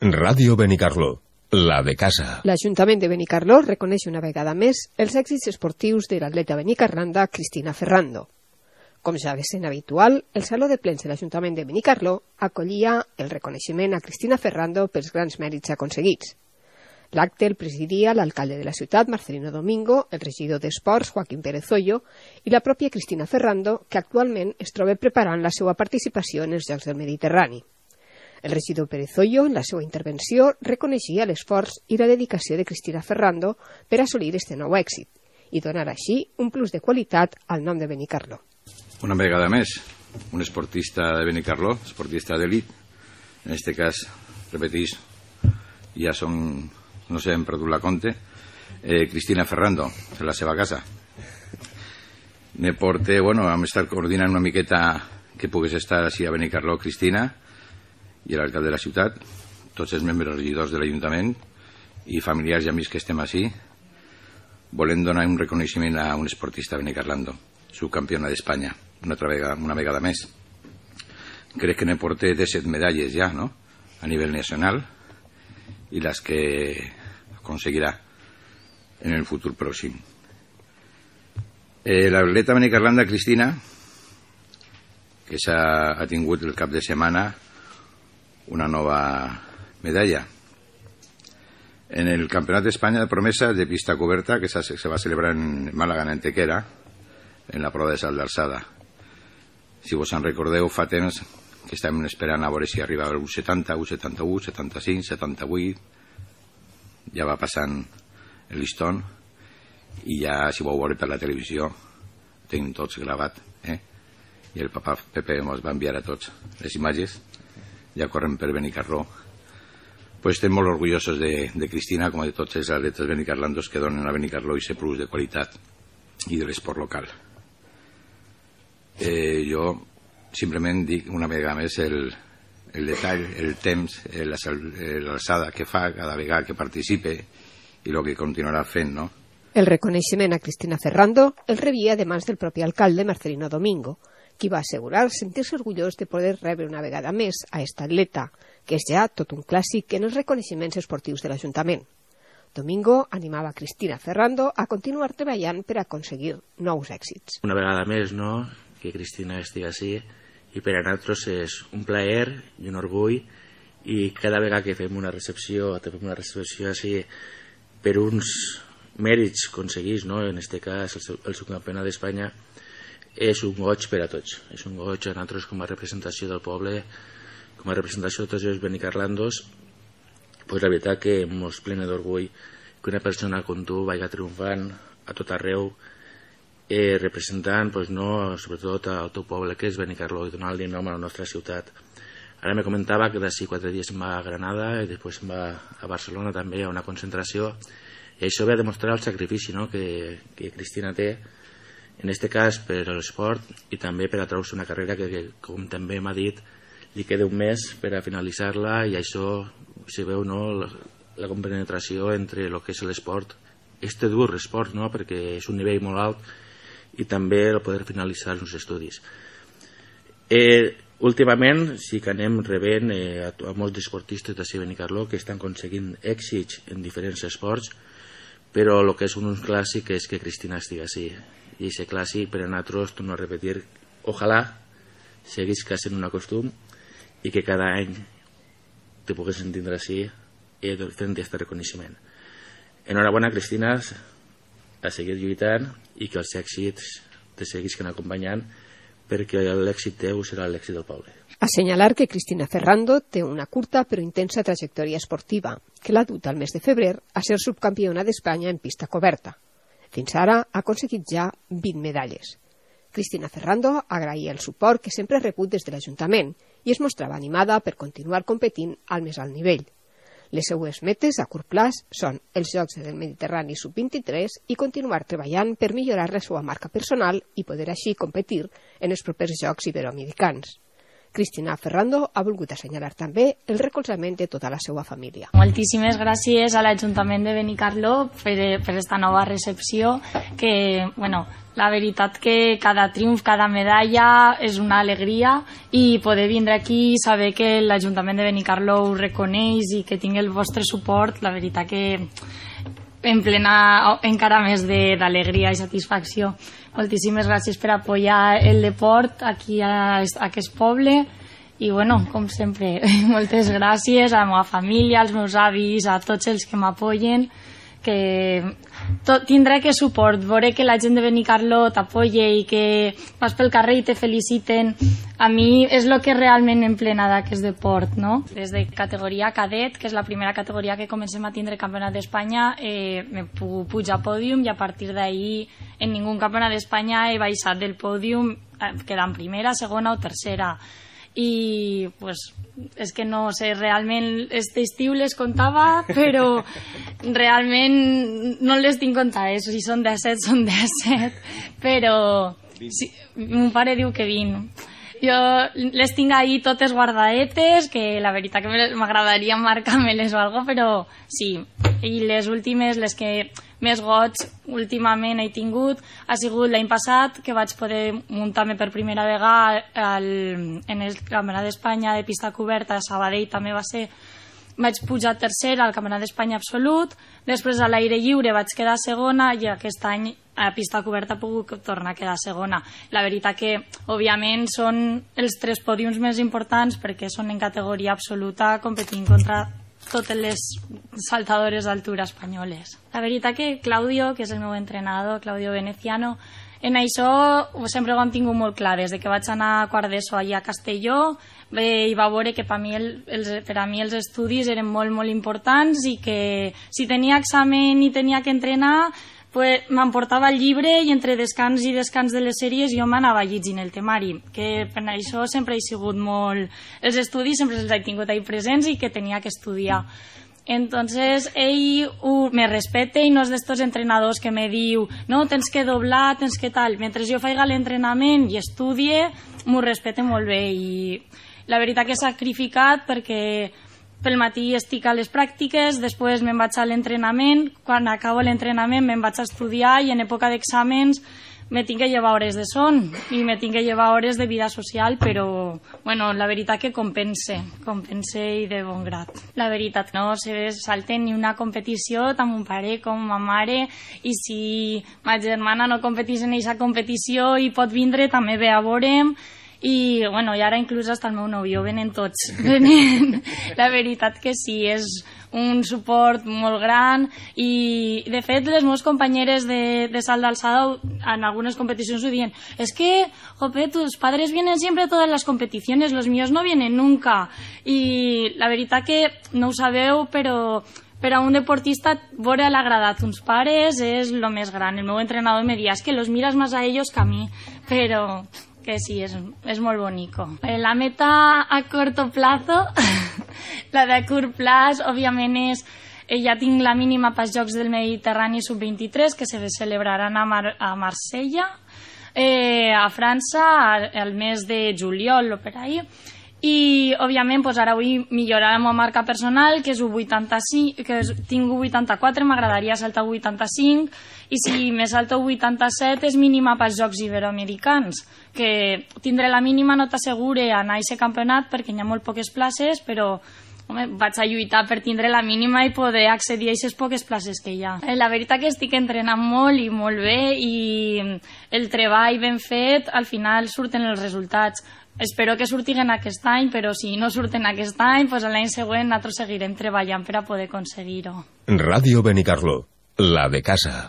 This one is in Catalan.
Ràdio Benicarló, la de casa. L'Ajuntament de Benicarló reconeix una vegada més els èxits esportius de l'atleta benicarlanda Cristina Ferrando. Com ja ve sent habitual, el Saló de Plens de l'Ajuntament de Benicarló acollia el reconeixement a Cristina Ferrando pels grans mèrits aconseguits. L'acte el presidia l'alcalde de la ciutat, Marcelino Domingo, el regidor d'Esports, Joaquín Pérez Hoyo, i la pròpia Cristina Ferrando, que actualment es troba preparant la seva participació en els Jocs del Mediterrani. El regidor Pérez Hoyo, en la seva intervenció, reconeixia l'esforç i la dedicació de Cristina Ferrando per assolir este nou èxit i donar així un plus de qualitat al nom de Benicarló. Una vegada més, un esportista de Benicarló, esportista d'elit, en aquest cas, repetís, ja són, no sé, hem perdut la compte, Cristina Ferrando, de la seva casa. Me porte, bueno, vam estar coordinant una miqueta que pogués estar així a Benicarló, Cristina, i l'alcalde de la ciutat, tots els membres regidors de l'Ajuntament i familiars i amics que estem així, volem donar un reconeixement a un esportista benicarlando, subcampiona d'Espanya, una vegada més. Crec que ne porté 17 medalles ja, no?, a nivell nacional, i les que aconseguirà en el futur pròxim. L'atleta benicarlanda Cristina, que ha tingut el cap de setmana una nova medalla en el Campionat d'Espanya de promesa de pista coberta que se va celebrar en Màlaga, en Antequera, en la prova de salt d'alçada. Si vos en recordeu, fa temps que estàvem esperant a veure si arribava el U70, U71, 75, 78, ja va passant el listón i ja, si vau veure per la televisió, tenim tots gravat, i el papa Pepe ens va enviar a tots les imatges, ja corren per Benicarló. Pues estem molt orgullosos de Cristina, com de tots els atletes benicarlandos que donen a Benicarló i aquest plus de qualitat i de l'esport local. Jo simplement dic una vegada més el detall, el temps, l'alçada que fa cada vegada que participe i el que continuarà fent, no? El reconeixement a Cristina Ferrando el rebia de mans del propi alcalde Marcelino Domingo, qui va assegurar sentir-se orgullós de poder rebre una vegada més a esta atleta, que és ja tot un clàssic en els reconeixements esportius de l'Ajuntament. Domingo animava a Cristina Ferrando a continuar treballant per aconseguir nous èxits. Una vegada més, no?, que Cristina estigui així, i per a nosaltres és un plaer i un orgull, i cada vegada que fem una recepció així per uns mèrits aconseguits, no?, en aquest cas el subcampionat d'Espanya, és un goig per a tots. És un goig a nosaltres com a representació del poble, com a representació de tots els benicarlandos. Pues la veritat que ens plena d'orgull que una persona com tu vagi triomfant a tot arreu, representant, pues, no, sobretot al teu poble, que és Benicarló, i donant-li nom a la nostra ciutat. Ara me comentava que d'ací 4 dies se'n va a Granada i després se'n va a Barcelona també a una concentració, i això ve a demostrar el sacrifici, no?, que Cristina té, en aquest cas per a l'esport i també per a treure una carrera que, com també m'ha dit, li queda un mes per a finalitzar-la, i això se veu, no?, la compenetració entre el que és l'esport, este dur esport, no?, perquè és un nivell molt alt, i també el poder finalitzar els estudis. Últimament sí que anem rebent a molts esportistes de Benicarló que estan aconseguint èxits en diferents esports, però el que és un clàssic és que Cristina estigui així. I aquest clàssic per a nosaltres, torno a repetir, ojalà seguís sent un costum i que cada any te poguessin tindre així fent aquest reconeixement. Enhorabona, Cristina, a seguir lluitant i que els èxits te seguisquen acompanyant, perquè l'èxit teu serà l'èxit del poble. Assenyalar que Cristina Ferrando té una curta però intensa trajectòria esportiva, que l'ha dut al mes de febrer a ser subcampiona d'Espanya en pista coberta. Fins ara ha aconseguit ja 20 medalles. Cristina Ferrando agraïa el suport que sempre ha rebut des de l'Ajuntament i es mostrava animada per continuar competint al més alt nivell. Les seues metes a curt plaç són els Jocs del Mediterrani sub-23 i continuar treballant per millorar la seva marca personal i poder així competir en els propers Jocs Iberoamericans. Cristina Ferrando ha volgut assenyalar també el recolzament de tota la seva família. Moltíssimes gràcies a l'Ajuntament de Benicarló per esta nova recepció, que, bueno, la veritat que cada triomf, cada medalla és una alegria, i poder vindre aquí i saber que l'Ajuntament de Benicarló ho reconeix i que tingui el vostre suport, la veritat que em plena encara més d'alegria i satisfacció. Moltíssimes gràcies per apoyar el deport aquí a aquest poble, i bueno, com sempre, moltes gràcies a la meva família, als meus avis, a tots els que m'apoyen, que tindré que suport, veure que la gent de Benicarló t'apoya i que vas pel carrer i te feliciten, a mi és el que realment em plena d'aquest deport, no? Des de categoria cadet, que és la primera categoria que comencem a tindre campionat d'Espanya, m'he pogut pujar a pòdium, i a partir d'ahir en ningú campionat d'Espanya he baixat del pòdium quedant primera, segona o tercera. I pues, és que no sé, realment este estiu les comptava, però realment no les tinc comptades, si són 17 són 17, però sí, mon pare diu que 20. Jo les tinc ahí totes guardadetes, que la veritat que m'agradaria marcar-me-les o alguna cosa, però sí. I les últimes, les que més goig últimament he tingut, ha sigut l'any passat, que vaig poder muntar-me per primera vegada en el Campionat d'Espanya de pista coberta a Sabadell, també va ser, vaig pujar tercera al Campionat d'Espanya absolut, després a l'aire lliure vaig quedar segona, i aquest any a pista coberta he pogut tornar a quedar segona. La veritat que, òbviament, són els 3 pòdiums més importants, perquè són en categoria absoluta competint contra totes les saltadores d'altura espanyoles. La veritat que Claudio, que és el meu entrenador, Claudio Veneciano, en això sempre ho hem tingut molt clar. Des que vaig anar a quart d'ESO allà a Castelló, i va veure que per a mi els estudis eren molt, molt importants, i que si tenia examen i tenia que entrenar, m'emportava el llibre, i entre descans i descans de les sèries jo m'anava llegint el temari, que per això sempre he sigut molt... Els estudis sempre els he tingut ahí presents i que tenia que estudiar. Entonces ell me respecta i no és d'estos entrenadors que me diu no, tens que doblar, tens que tal. Mentre jo faiga l'entrenament i estudie, m'ho respecta molt bé, i la veritat que he sacrificat, perquè pel matí estic a les pràctiques, després me'n vaig a l'entrenament, quan acabo l'entrenament me'n vaig a estudiar, i en època d'exàmens me tinc que llevar hores de son i me tinc que llevar hores de vida social, però bueno, la veritat que compense i de bon grat. La veritat no se salta ni una competició, tant mon pare com ma mare, i si ma germana no competís en aquesta competició i pot vindre, també ve a veure'm. I bueno, i ara inclús hasta el meu nòvio venen tots. La veritat que sí, és un suport molt gran, i de fet les meves companyeres de salt d'alçada en algunes competicions ho diuen, es que, jope, tus padres vienen siempre a todas las competiciones, los míos no vienen nunca. I la veritat que no ho sabeu, però per a un deportista veure l'agradat uns pares és el més gran. El meu entrenador me dia, es que los miras más a ellos que a mí, però que sí, és molt bonico. La meta a corto plazo, la de curt plaç, òbviament és, ja tinc la mínima pels Jocs del Mediterrani sub-23, que se celebraran a Marsella, a França, al mes de juliol o per ahí. I, òbviament, ara vull millorar la meva marca personal, que és U85, que tinc U84, m'agradaria saltar U85, i si me salto U87 és mínima pels Jocs Iberoamericans, que tindré la mínima no t'assegure anar a aquest campionat perquè hi ha molt poques places, però vaig a lluitar per tindre la mínima i poder accedir a aquestes poques places que hi ha. La veritat que estic entrenant molt i molt bé, i el treball ben fet, al final surten els resultats. Espero que surtin aquest any, però si no surten aquest any, l'any següent nosaltres seguirem treballant per a poder aconseguir-ho. Ràdio Benicarló, la de casa.